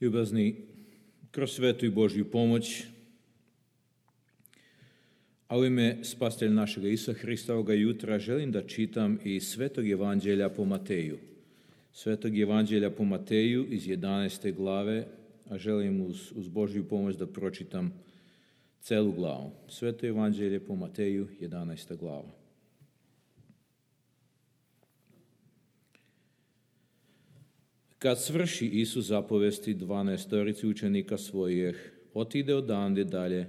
Ljubazni, kroz svetu i Božju pomoć, a u ime Spasitelja našega Isusa Hrista ovoga jutra želim da čitam iz Svetog Evanđelja po Mateju. Svetog Evanđelja po Mateju iz 11. glave, a želim uz Božju pomoć da pročitam celu glavu. Sveto Evanđelje po Mateju, 11. glava. Kad svrši Isus zapovesti 12 učenika svojih, otide odande dalje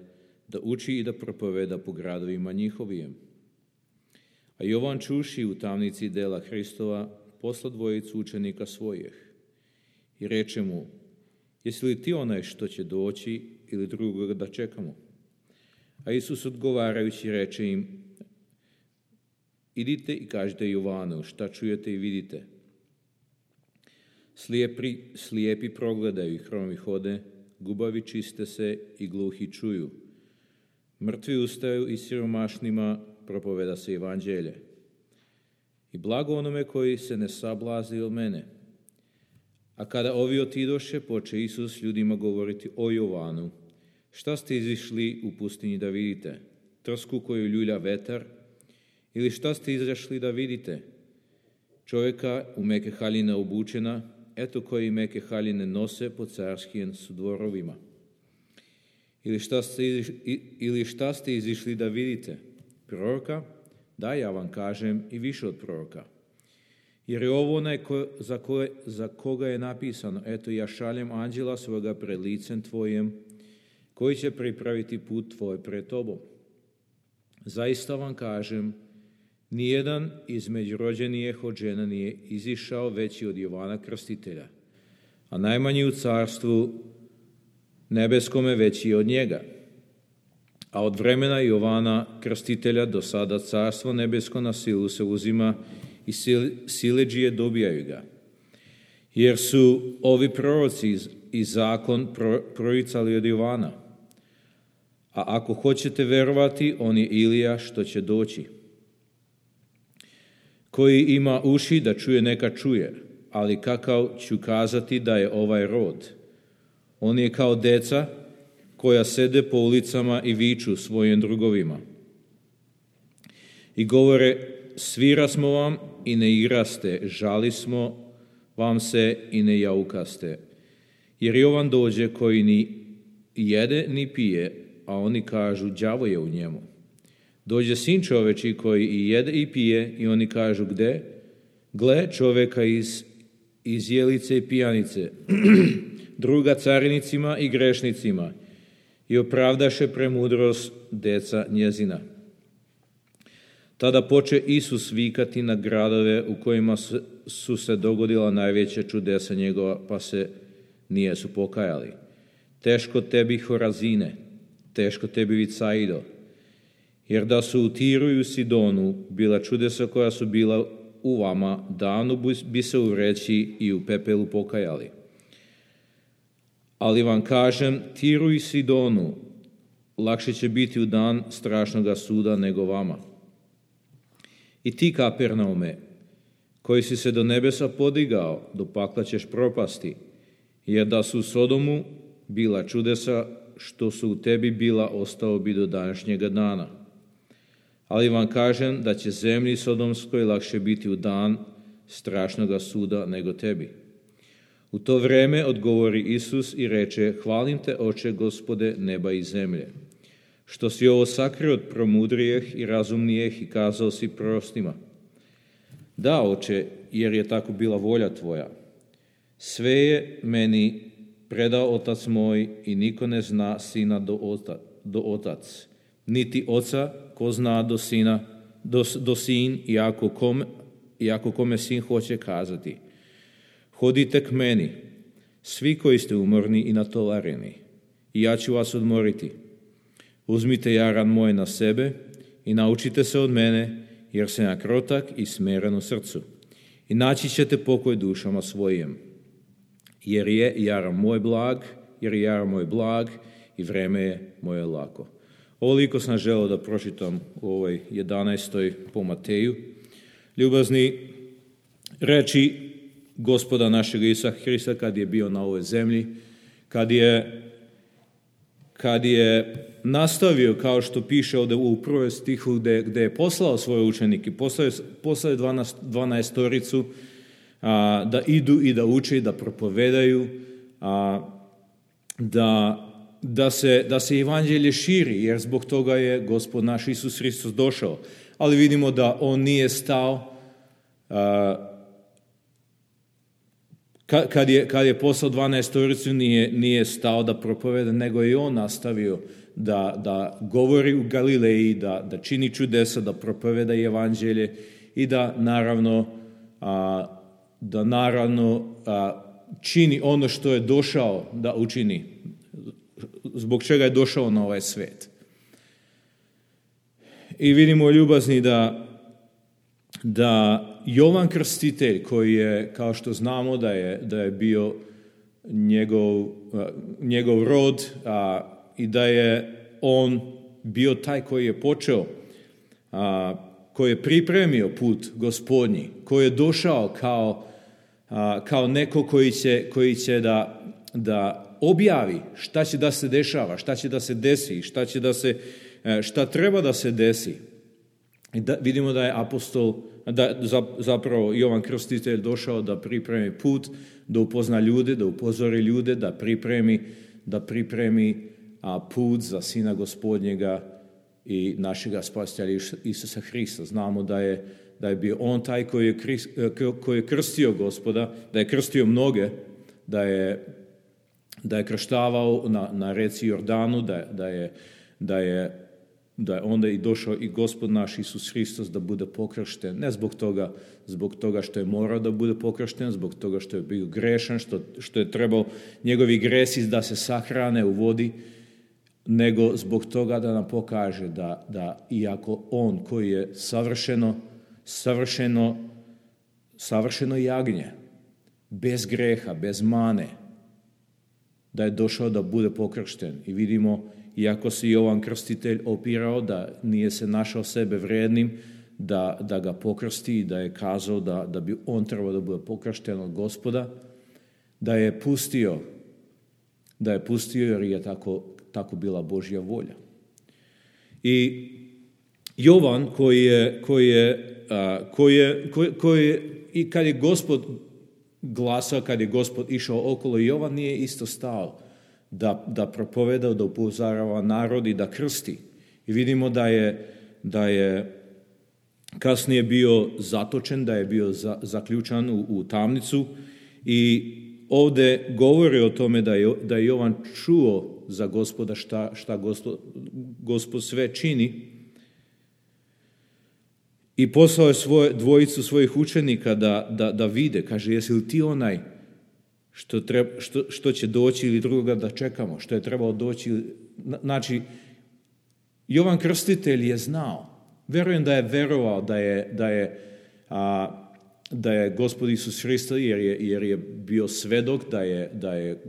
da uči i da propoveda po gradovima njihovim. A Jovan čuši u tamnici dela Hristova posla 2 učenika svojih i reče mu: jesi li ti onaj što će doći ili drugoga da čekamo? A Isus odgovarajući reče im: idite i kažite Jovanu šta čujete i vidite. Slijepi progledaju i hromi hode, gubavi čiste se i gluhi čuju. Mrtvi ustaju i siromašnima propoveda se evanđelje. I blago onome koji se ne sablazni od mene. A kada ovi otidoše, poče Isus ljudima govoriti o Jovanu: šta ste izišli u pustinji da vidite? Trsku koju ljulja vetar? Ili šta ste izašli da vidite? Čovjeka u meke haljine obučena, eto koji meke haljine nose po carskim sudvorovima. Ili šta ste izišli da vidite? Proroka? Da, ja vam kažem, i više od proroka. Jer je ovo onaj za koga je napisano: eto ja šaljem anđela svoga pred licem tvojim, koji će pripraviti put tvoj pred tobom. Zaista vam kažem, nijedan između rođenijih od žena nije izišao veći od Jovana Krstitelja, a najmanji u carstvu nebeskome veći od njega. A od vremena Jovana Krstitelja do sada carstvo nebesko na silu se uzima i siledžije dobijaju ga. Jer su ovi proroci i zakon proricali od Jovana. A ako hoćete verovati, on je Ilija što će doći. Koji ima uši da čuje, neka čuje, ali kakav ću kazati da je ovaj rod? On je kao deca koja sede po ulicama i viču svojim drugovima. I govore: svira smo vam i ne igraste, žali smo vam se i ne jaukaste. Jer Jovan dođe koji ni jede ni pije, a oni kažu: đavo je u njemu. Dođe sin čoveči koji i jede i pije, i oni kažu: gde? Gle čoveka iz jelice i pijanice, druga carinicima i grešnicima, i opravdaše premudrost deca njezina. Tada poče Isus vikati na gradove u kojima su se dogodila najveća čudesa njegova, pa se nijesu pokajali. Teško tebi, Horazine, teško tebi, Vicaido, jer da su u Tiru i u Sidonu bila čudesa koja su bila u vama, davno bi se u vreći i u pepelu pokajali. Ali vam kažem, Tiru i Sidonu lakše će biti u dan strašnoga suda nego vama. I ti, Kapernaume, koji si se do nebesa podigao, do pakla ćeš propasti, jer da su u Sodomu bila čudesa što su u tebi bila, ostao bi do današnjega dana. Ali vam kažem da će zemlji Sodomskoj lakše biti u dan strašnoga suda nego tebi. U to vreme odgovori Isus i reče: hvalim te, Oče, Gospode neba i zemlje, što si ovo sakrio od promudrijeh i razumnijeh i kazao si prorocima. Da, Oče, jer je tako bila volja tvoja. Sve je meni predao Otac moj i niko ne zna Sina do Otac, niti Oca ko zna do Sin, iako kome Sin hoće kazati. Hodite k meni, svi koji ste umorni i natovareni, i ja ću vas odmoriti. Uzmite jaran moj na sebe i naučite se od mene, jer sam ja krotak i smeren u srcu. I naći ćete pokoj dušama svojim. Jer je jaran moj blag i vreme je moje lako. Ovoliko sam želeo da pročitam u ovoj 11. po Mateju. Ljubazni, reči Gospoda našeg Isusa Hrista kad je bio na ovoj zemlji kad je nastavio, kao što piše ovdje u prvom stihu, gdje je poslao svoje učenike, poslao je 12 da idu i da uče i da propovedaju, da se evanđelje širi, jer zbog toga je Gospod naš Isus Hristos došao. Ali vidimo da on nije stao, kad je poslao 12 nije stao da propoveda, nego je on nastavio da govori u Galileji, da čini čudesa, da propoveda evanđelje i da naravno čini ono što je došao da učini, zbog čega je došao na ovaj svijet. I vidimo, ljubazni, da Jovan Krstitelj, koji je, kao što znamo, da je bio njegov rod, i da je on bio taj koji je počeo, koji je pripremio put Gospodnji, koji je došao kao neko koji će da objavi šta će da se dešava, šta će da se desi, šta treba da se desi. I vidimo da je zapravo Jovan Krstitelj došao da pripremi put, da upozna ljude, da upozori ljude, da pripremi put za Sina Gospodnjega i našega Spasitelja Isusa Hrista. Znamo da je bio on taj koji je krstio Gospoda, da je krstio mnoge, da je krštavao na reci Jordanu, da je onda i došao i Gospod naš Isus Hristos da bude pokršten, ne zbog toga što je morao da bude pokršten, zbog toga što je bio grešan, što je trebao njegovi gresi da se sahrane u vodi, nego zbog toga da nam pokaže da iako on koji je savršeno jagnje, bez greha, bez mane, da je došao da bude pokršten. I vidimo, iako se Jovan Krstitelj opirao, da nije se našao sebe vrednim da ga pokrsti i da je kazao da bi on trebao da bude pokršten od Gospoda, da je pustio jer je tako bila Božja volja. I Jovan i kad je Gospod glasao, kad je Gospod išao okolo, Jovan nije isto stao da propoveda, da upozorava narod i da krsti. I vidimo da je kasnije bio zatočen, da je bio zaključan u tamnicu, i ovdje govori o tome da je Jovan čuo za Gospoda šta Gospod sve čini, i poslao je dvojicu svojih učenika da vide. Kaže, jesi li ti onaj što će doći ili drugoga da čekamo, što je trebalo doći? Znači, Jovan Krstitelj je znao. Verujem da je verovao da je Gospod Isus Hristos, jer je bio svedok da je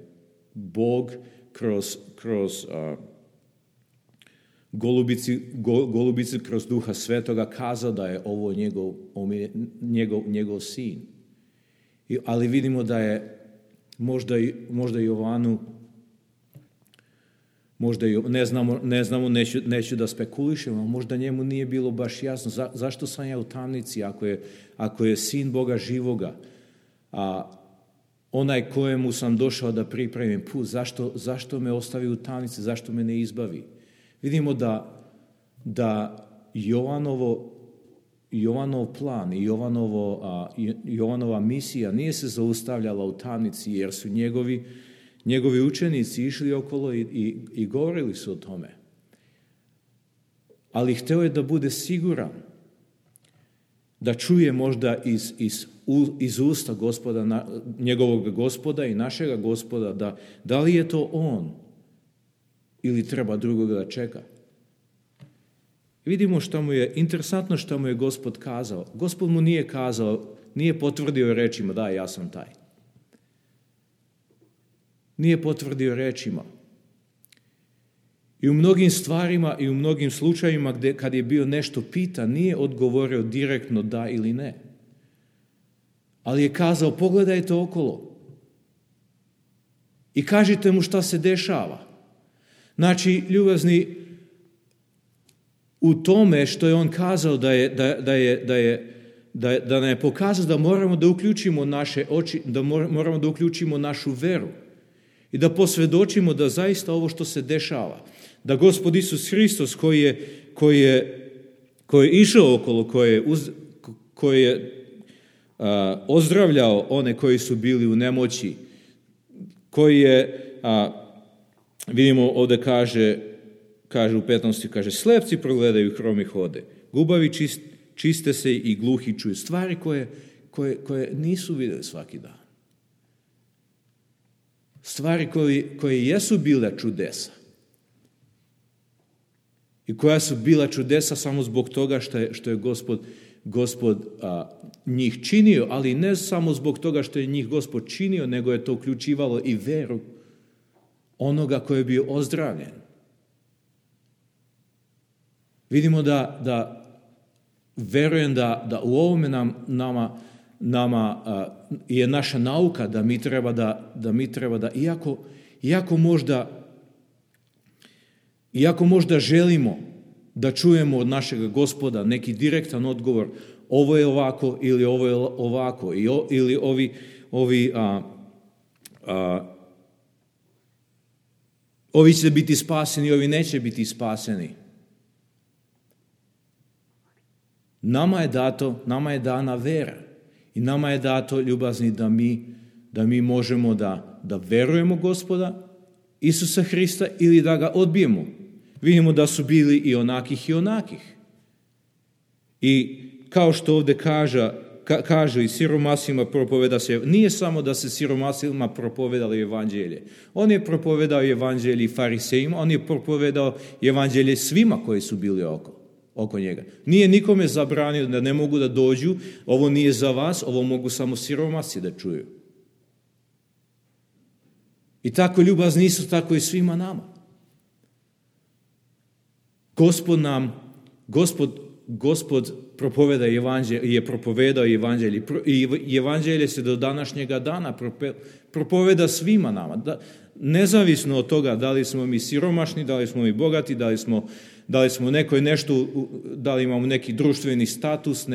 Bog kroz golubici, kroz Duha Svetoga kazao da je ovo njegov sin. Ali vidimo da je možda Jovanu, ne znamo, neću da spekulišemo, možda njemu nije bilo baš jasno zašto sam ja u tamnici ako je sin Boga živoga, a onaj kojemu sam došao da pripremim put, zašto me ostavi u tamnici, zašto me ne izbavi? Vidimo da Jovanov plan i Jovanova misija nije se zaustavljala u tamnici, jer su njegovi učenici išli okolo i govorili su o tome. Ali hteo je da bude siguran, da čuje možda iz usta Gospoda, njegovog Gospoda i našega Gospoda, da li je to on ili treba drugoga da čeka. Vidimo interesantno što mu je Gospod kazao. Gospod mu nije potvrdio rečima, da, ja sam taj. Nije potvrdio rečima. I u mnogim stvarima i u mnogim slučajima kad je bio nešto pitan, nije odgovorio direktno da ili ne. Ali je kazao, pogledajte okolo. i kažite mu šta se dešava. Znači, ljubazni, u tome što je on kazao da nam je pokazao da moramo da uključimo naše oči, da moramo da uključimo našu veru i da posvjedočimo da zaista ovo što se dešava, da Gospod Isus Hristos koji je išao okolo, koji je ozdravljao one koji su bili u nemoći, koji je, vidimo ovdje kaže u 15. kaže, slepci progledaju, hromi hode, gubavi čiste se i gluhi čuju. Stvari koje nisu vidjeli svaki dan. Stvari koje jesu bile čudesa. I koja su bila čudesa samo zbog toga što je Gospod njih činio, ali ne samo zbog toga što je njih Gospod činio, nego je to uključivalo i veru onoga koji je bio ozdravljen. Vidimo da verujem da u ovome nama je naša nauka da mi treba da iako možda želimo da čujemo od našeg Gospoda neki direktan odgovor, ovo je ovako ili ovo je ovako, ili ovi će biti spaseni, ovi neće biti spaseni. Nama je dana vera i nama je dato, ljubazni, da mi možemo da verujemo Gospoda Isusa Hrista ili da ga odbijemo. Vidimo da su bili i onakih. I kao što ovdje kaže i siromasima propoveda se, nije samo da se siromasima propovedalo evanđelje. On je propovedao evanđelje i farisejima, on je propovedao evanđelje svima koji su bili oko njega. Nije nikome zabranio da ne mogu da dođu, ovo nije za vas, ovo mogu samo siromasi da čuju. I tako ljubazni Isus, tako i svima nama. Gospod je propovedao evanđelje i evanđelje se do današnjega dana propoveda svima nama. Nezavisno od toga da li smo mi siromašni, da li smo mi bogati, da li smo nekoj nešto, da li imamo neki društveni status,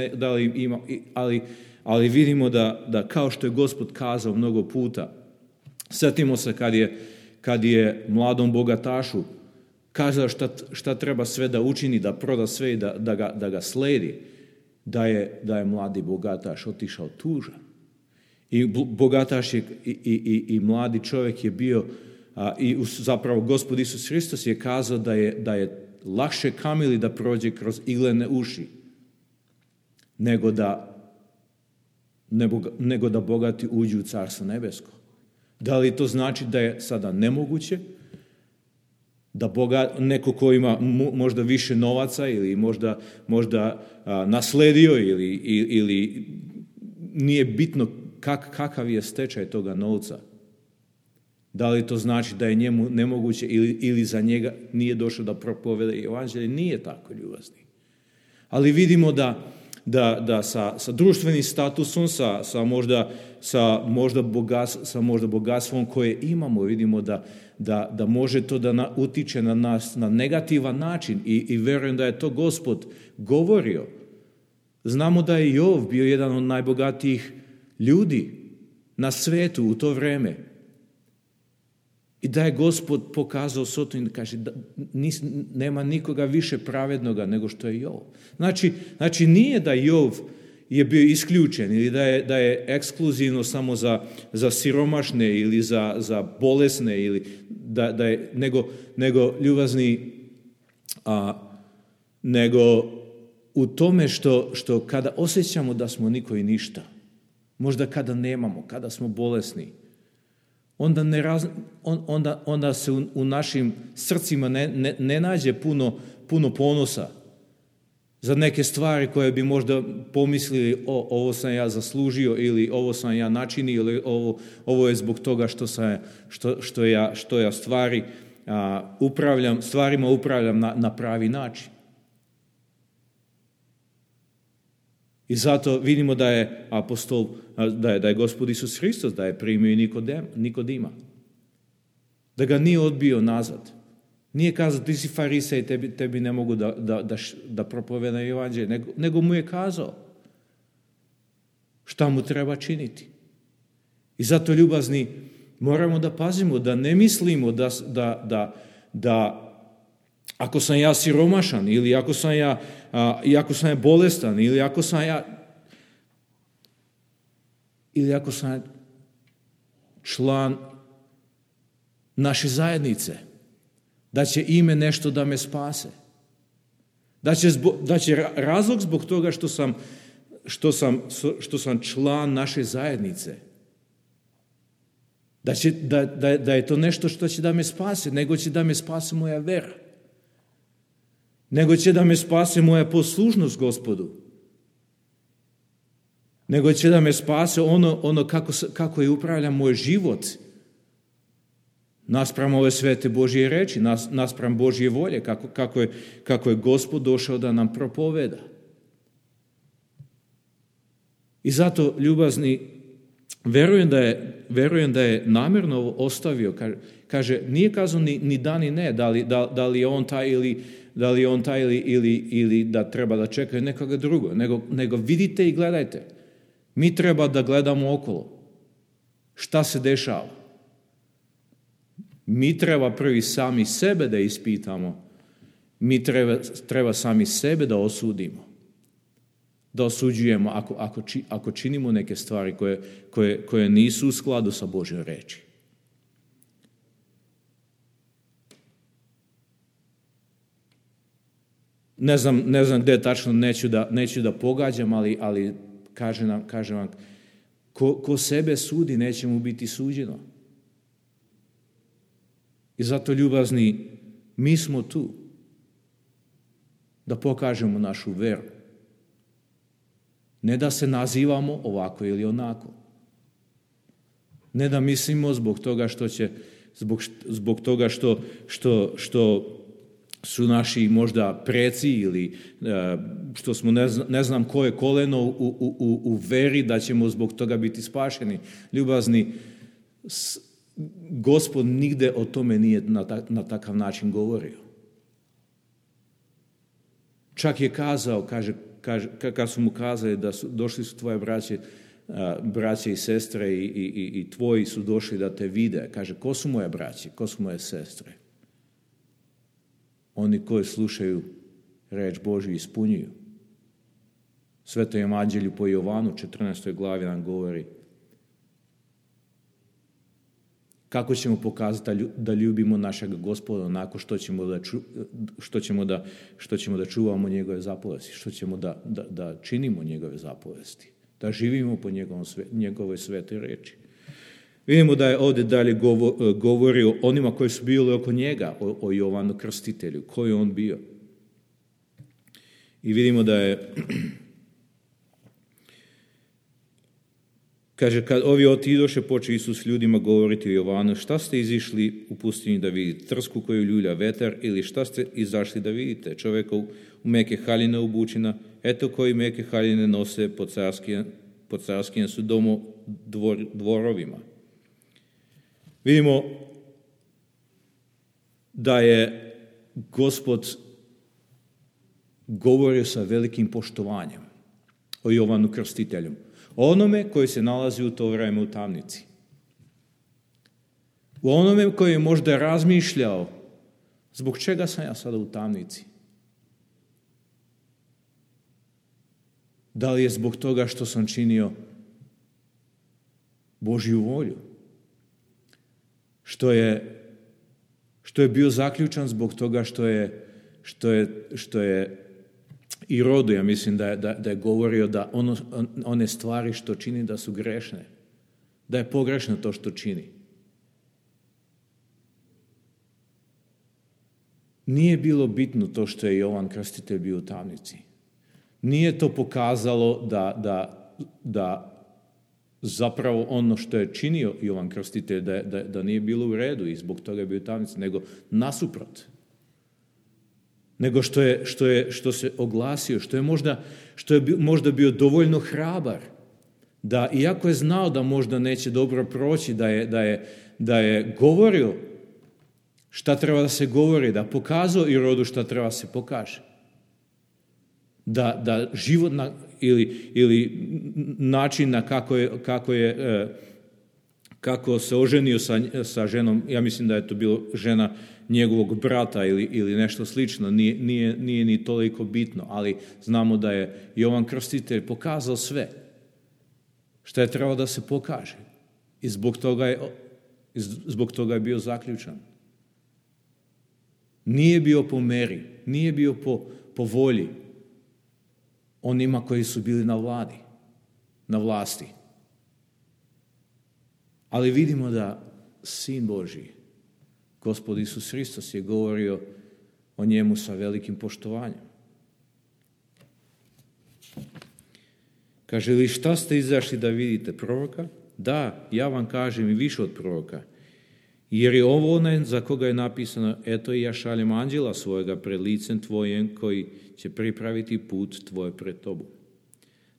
ali vidimo da kao što je Gospod kazao mnogo puta, sjetimo se kad je mladom bogatašu kazao šta treba sve da učini, da proda sve i da ga sledi, da je mladi bogataš otišao tužan. I bogataš je i mladi čovjek je bio, i zapravo Gospod Isus Hristos je kazao da je lakše kamili da prođe kroz iglene uši, nego da bogati uđu u Carstvo nebesko. Da li to znači da je sada nemoguće da neko ko ima možda više novaca ili možda nasledio ili nije bitno kakav je stečaj toga novca. Da li to znači da je njemu nemoguće ili za njega nije došao da propoveda evanđelje? Nije tako, ljubazni. Ali vidimo da sa društvenim statusom, sa možda bogatstvom koje imamo, vidimo da može to da utiče na nas na negativan način i verujem da je to Gospod govorio. Znamo da je Jov bio jedan od najbogatijih ljudi na svetu u to vrijeme. I da je Gospod pokazao Sotonu i kaže da nema nikoga više pravednoga nego što je Jov. Znači nije da Jov je bio isključen ili da je ekskluzivno samo za siromašne ili za bolesne ili nego ljubazni, nego u tome što kada osjećamo da smo niko i ništa, možda kada nemamo, kada smo bolesni, onda se u našim srcima ne nađe puno ponosa za neke stvari koje bi možda pomislili ovo sam ja zaslužio ili ovo sam ja načinio ili ovo je zbog toga što ja stvarima upravljam na pravi način. I zato vidimo da je Gospod Isus Hristos da je primio i Nikodima. Da ga nije odbio nazad. Nije kazao ti si farisej, tebi ne mogu da propovedam evanđelje, nego mu je kazao šta mu treba činiti. I zato, ljubazni, moramo da pazimo, da ne mislimo da ako sam ja siromašan ili ako sam ja bolestan ili ako sam član naše zajednice, da će ime nešto da me spase. Da će razlog zbog toga što sam član naše zajednice, da je to nešto što će da me spase, nego će da me spase moja vera. Nego će da me spase moja poslušnost Gospodu. Nego će da me spase ono kako je upravljam moj život naspram ove svete Božje reči, naspram Božje volje, kako je Gospod došao da nam propoveda. I zato, ljubazni, verujem da je namjerno ostavio, kaže, nije kazao ni da ni ne, da li je on taj ili da treba da čekaju nekoga drugo, nego vidite i gledajte. Mi treba da gledamo okolo. Šta se dešava? Mi treba prvi sami sebe da ispitamo. Mi treba sami sebe da osudimo. Da osuđujemo ako činimo neke stvari koje nisu u skladu sa Božjom reči. Ne znam gdje tačno, neću da pogađam, ali kažem vam, ko sebe sudi, neće mu biti suđeno. I zato, ljubazni, mi smo tu da pokažemo našu veru. Ne da se nazivamo ovako ili onako. Ne da mislimo zbog toga što su naši možda preci ili što smo ne znam koje koleno u veri, da ćemo zbog toga biti spašeni. Ljubazni, Gospod nigde o tome nije na takav način govorio. Čak je kazao, kad su mu kazali da došli su tvoje braće i sestre i tvoji su došli da te vide. Kaže, ko su moje braće, ko su moje sestre? Oni koji slušaju reč Božju ispunjuju. Sveto evanđelju po Jovanu, 14. glavi nam govori kako ćemo pokazati da ljubimo našeg Gospoda onako što ćemo da čuvamo njegove zapovesti, što ćemo da činimo njegove zapovesti, da živimo po njegove svete reči. Vidimo da je ovdje dalje govori o onima koji su bili oko njega, o Jovanu Krstitelju, koji je on bio. I vidimo da je, kaže, kad ovi otidoše, poče Isus ljudima govoriti o Jovanu, šta ste izišli u pustinju da vidite? Trsku koju ljulja vetar, ili šta ste izašli da vidite? Čovjeka u meke haljine obučina, eto koji meke haljine nose po carskijem su dvorovima. Vidimo da je Gospod govorio sa velikim poštovanjem o Jovanu Krstitelju, o onome koji se nalazi u to vreme u tamnici. O onome koji je možda razmišljao, zbog čega sam ja sada u tamnici? Da li je zbog toga što sam činio Božju volju? Što je bio zaključan zbog toga što je i Rodo, ja mislim da je govorio da one stvari što čini da su grešne, da je pogrešno to što čini. Nije bilo bitno to što je Jovan Krstitelj bio u tamnici. Nije to pokazalo da zapravo ono što je činio Jovan Krstitelj da nije bilo u redu i zbog toga je bio u tamnici, nego nasuprot. Nego što se oglasio, što je možda bio dovoljno hrabar, da iako je znao da možda neće dobro proći, da je govorio šta treba da se govori, da pokazao i rodu šta treba se pokaže. Da život ili način na kako se oženio sa ženom, ja mislim da je to bilo žena njegovog brata ili nešto slično, nije ni toliko bitno, ali znamo da je Jovan Krstitelj pokazao sve što je trebalo da se pokaže i zbog toga je bio zaključan. Nije bio po meri, nije bio po volji onima koji su bili na vlasti. Ali vidimo da Sin Božji, Gospod Isus Hristos, je govorio o njemu sa velikim poštovanjem. Kaže li, šta ste izašli da vidite, proroka? Da, ja vam kažem i više od proroka. Jer je ovo onaj za koga je napisano, eto i ja šaljem anđela svojega pred licem tvojim koji će pripraviti put tvoj pred tobom.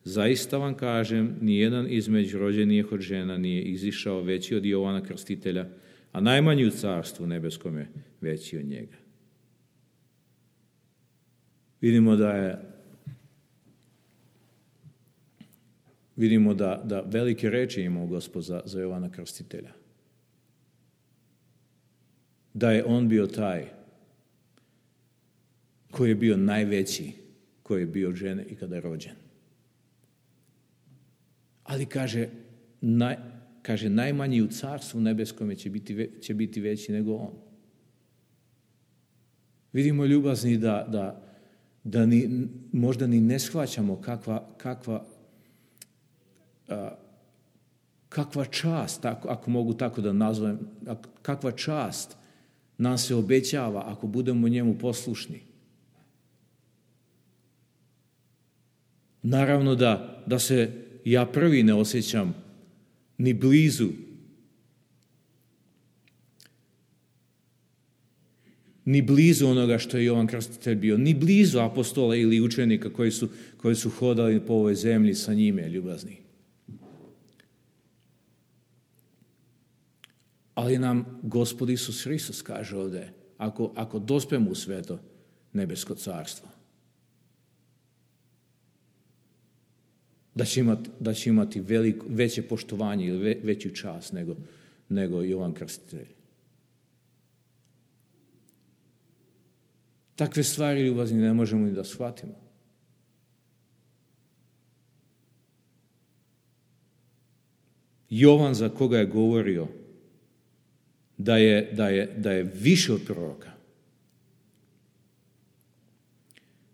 Zaista vam kažem, nijedan između rođenih od žena nije izišao veći od Jovana Krstitelja, a najmanji u carstvu nebeskom je veći od njega. Vidimo da velike reči imao Gospod za Jovana Krstitelja. Da je on bio taj koji je bio najveći, koji je bio od žene i kada je rođen. Ali kaže najmanji u carstvu nebeskom će biti veći nego on. Vidimo, ljubazni, da možda ni ne shvaćamo kakva čast, ako mogu tako da nazovem, kakva čast nam se obećava ako budemo njemu poslušni. Naravno da se ja prvi ne osjećam ni blizu onoga što je Jovan Krstitelj bio, ni blizu apostola ili učenika koji su hodali po ovoj zemlji sa njime, ljubazni. Ali nam Gospod Isus Hristos kaže ovdje, ako dospemo u sveto nebesko carstvo, da će imati veće poštovanje ili veću čast nego Jovan Krstitelj. Takve stvari, ljubazni, ne možemo ni da shvatimo. Jovan, za koga je govorio da je više od proroka.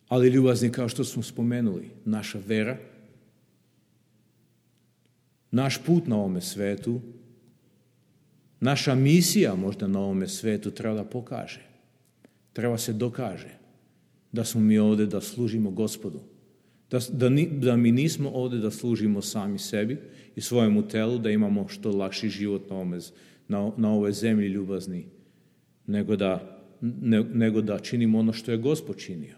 Ali, ljubazni, kao što smo spomenuli, naša vera, naš put na ovome svetu, naša misija možda na ovome svetu treba da pokaže, treba se dokaže da smo mi ovdje da služimo Gospodu, da mi nismo ovdje da služimo sami sebi i svojemu telu, da imamo što lakši život na ovoj zemlji, ljubazni, nego da činimo ono što je Gospod činio.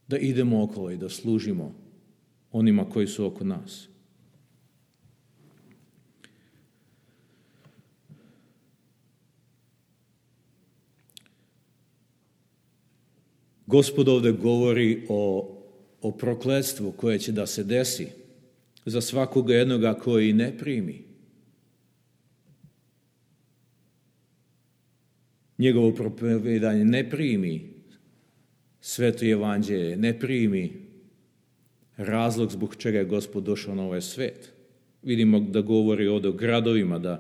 Da idemo okolo i da služimo onima koji su oko nas. Gospod ovdje govori o prokletstvu koje će da se desi za svakoga jednoga koji ne primi njegovo propovedanje, ne primi sveto evanđelje, ne primi razlog zbog čega je Gospod došao na ovaj svet. Vidimo da govori ovdje o gradovima,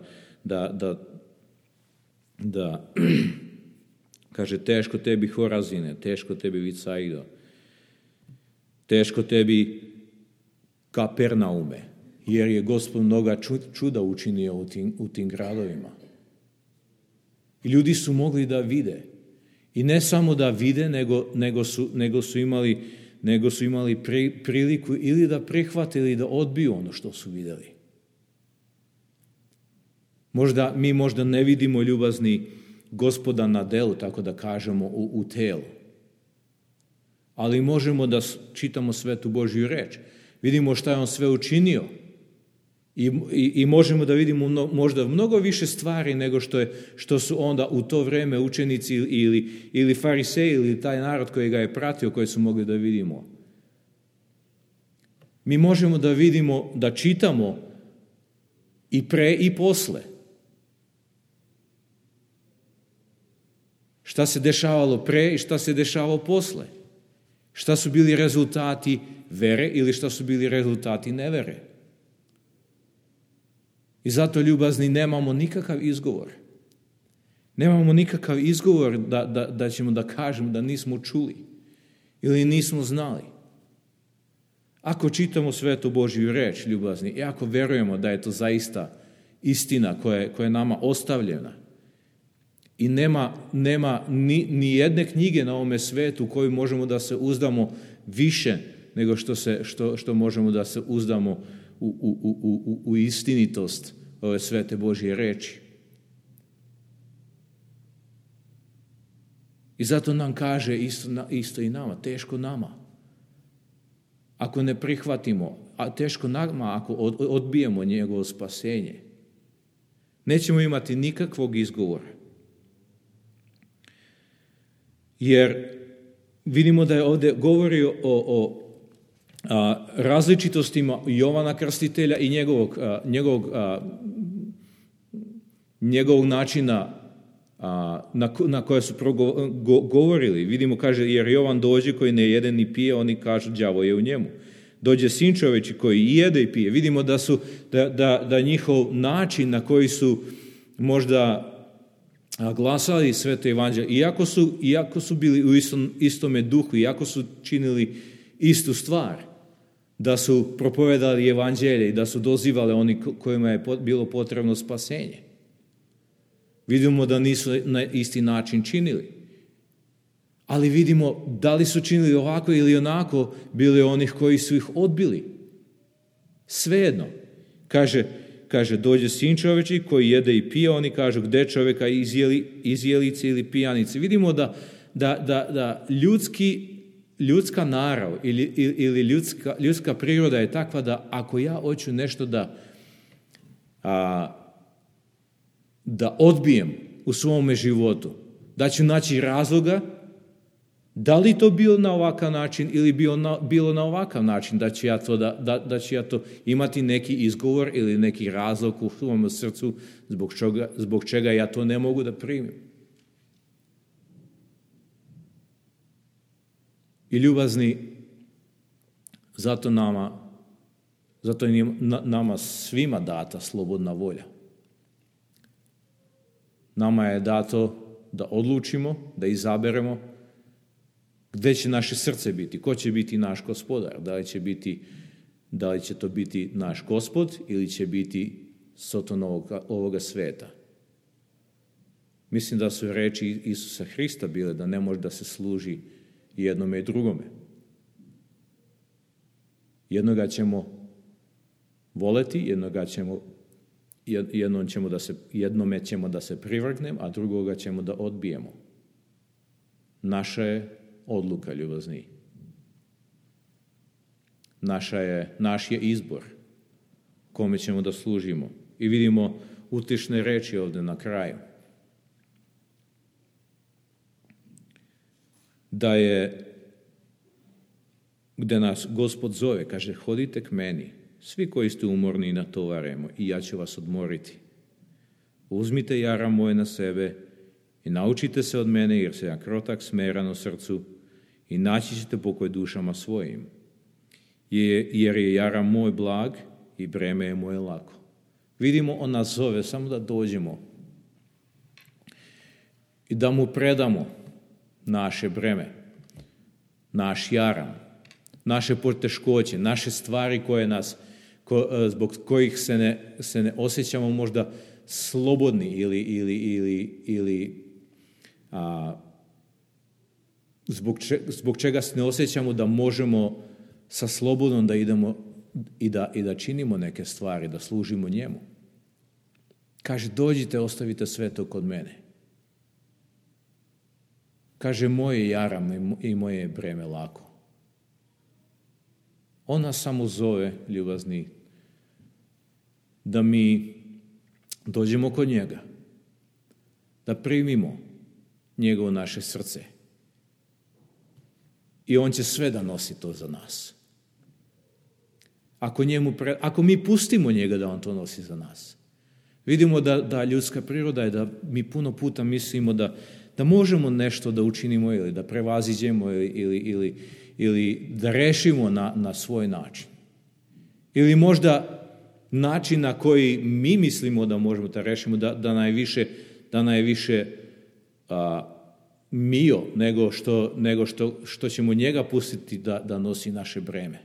da kaže, teško tebi Horazine, teško tebi Vicaido, teško tebi Kapernaume, jer je Gospod mnoga čuda učinio u tim gradovima. I ljudi su mogli da vide. I ne samo da vide, nego su imali priliku ili da prihvate ili da odbiju ono što su vidjeli. Mi možda ne vidimo, ljubazni, Gospoda na delu, tako da kažemo, u telu. Ali možemo da čitamo svetu Božju reč. Vidimo šta je on sve učinio I možemo da vidimo možda mnogo više stvari nego što su onda u to vreme učenici ili fariseji ili taj narod koji ga je pratio, koji su mogli da vidimo. Mi možemo da vidimo, da čitamo i pre i posle. Šta se dešavalo pre i šta se dešavalo posle. Šta su bili rezultati vere ili šta su bili rezultati nevere. I zato, ljubazni, nemamo nikakav izgovor. Nemamo nikakav izgovor da ćemo da kažemo da nismo čuli ili nismo znali. Ako čitamo Svetu Božju reč, ljubazni, i ako verujemo da je to zaista istina koja je nama ostavljena, i nema ni jedne knjige na ovome svetu u kojoj možemo da se uzdamo više nego što možemo da se uzdamo u istinitost ove Svete Božje reči. I zato nam kaže isto i nama, teško nama. Ako ne prihvatimo, a teško nama ako odbijemo njegovo spasenje, nećemo imati nikakvog izgovora. Jer vidimo da je ovdje govorio o različitostima Jovana Krstitelja i njegovog načina na koje su govorili. Vidimo, kaže, jer Jovan dođe koji ne jede ni pije, oni kažu đavo je u njemu. Dođe Sin čoveči koji i jede i pije. Vidimo da njihov način na koji su možda glasali Sveto evanđelje, iako su bili u istome duhu, iako su činili istu stvar, da su propovedali evanđelje i da su dozivali oni kojima je bilo potrebno spasenje. Vidimo da nisu na isti način činili. Ali vidimo da li su činili ovako ili onako, bili onih koji su ih odbili. Svejedno. Kaže, dođe Sin čoveči koji jede i pije, oni kažu gde čoveka izjelice ili pijanice. Vidimo da ljudska narav ili ljudska priroda je takva da ako ja hoću nešto da odbijem u svome životu, da ću naći razloga, da li to bilo na ovakav način ili bilo na ovakav način, da ću ja to imati neki izgovor ili neki razlog u svom srcu zbog čega ja to ne mogu da primim. I ljubazni, zato je nama svima data slobodna volja. Nama je dato da odlučimo, da izaberemo gde će naše srce biti, ko će biti naš gospodar, da li će to biti naš gospod ili će biti soton ovoga sveta. Mislim da su reči Isusa Hrista bile da ne može da se služi jednome i drugome. Jednoga ćemo voleti, jednome ćemo da se privrgnemo, a drugoga ćemo da odbijemo. Naša je odluka, ljubazni. Naš je izbor kome ćemo da služimo. I vidimo utešne reči ovdje na kraju. Da je, gde nas Gospod zove, kaže, hodite k meni, svi koji ste umorni i natovareni, i ja ću vas odmoriti. Uzmite jara moje na sebe i naučite se od mene, jer sam ja krotak, smeran u srcu, i naći ćete pokoj dušama svojim. Jer je jara moj blag i breme je moje lako. Vidimo, on nas zove samo da dođemo i da mu predamo naše breme, naš jaram, naše poteškoće, naše stvari zbog kojih se ne osjećamo možda slobodni ili zbog čega se ne osjećamo da možemo sa slobodom da idemo i da činimo neke stvari, da služimo njemu. Kaže, dođite, ostavite sve to kod mene. Kaže, moje jaram i moje je breme lako. On nas samo zove, ljubazni, da mi dođemo kod njega, da primimo njegovo naše srce. I on će sve da nosi to za nas. Ako mi pustimo njega da on to nosi za nas. Vidimo da ljudska priroda je da mi puno puta mislimo da možemo nešto da učinimo ili da prevaziđemo ili da rešimo na svoj način. Ili možda način na koji mi mislimo da možemo da rešimo, da najviše mio nego što ćemo njega pustiti da nosi naše breme.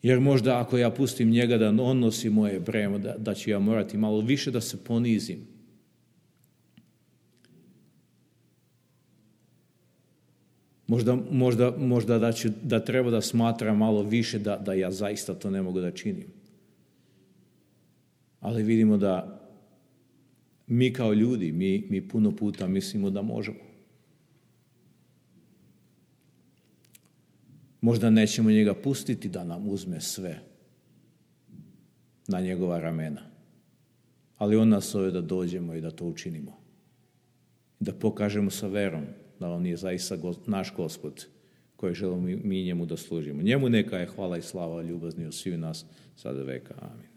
Jer možda ako ja pustim njega da on nosi moje breme, da ću ja morati malo više da se ponizim. Možda da treba da smatram malo više da ja zaista to ne mogu da činim. Ali vidimo da mi kao ljudi, mi puno puta mislimo da možemo. Možda nećemo njega pustiti da nam uzme sve na njegova ramena. Ali on nas zove da dođemo i da to učinimo. Da pokažemo sa verom da on je zaista naš Gospod koji želimo mi njemu da služimo. Njemu neka je hvala i slava ljubazni od svih nas sada veka. Amin.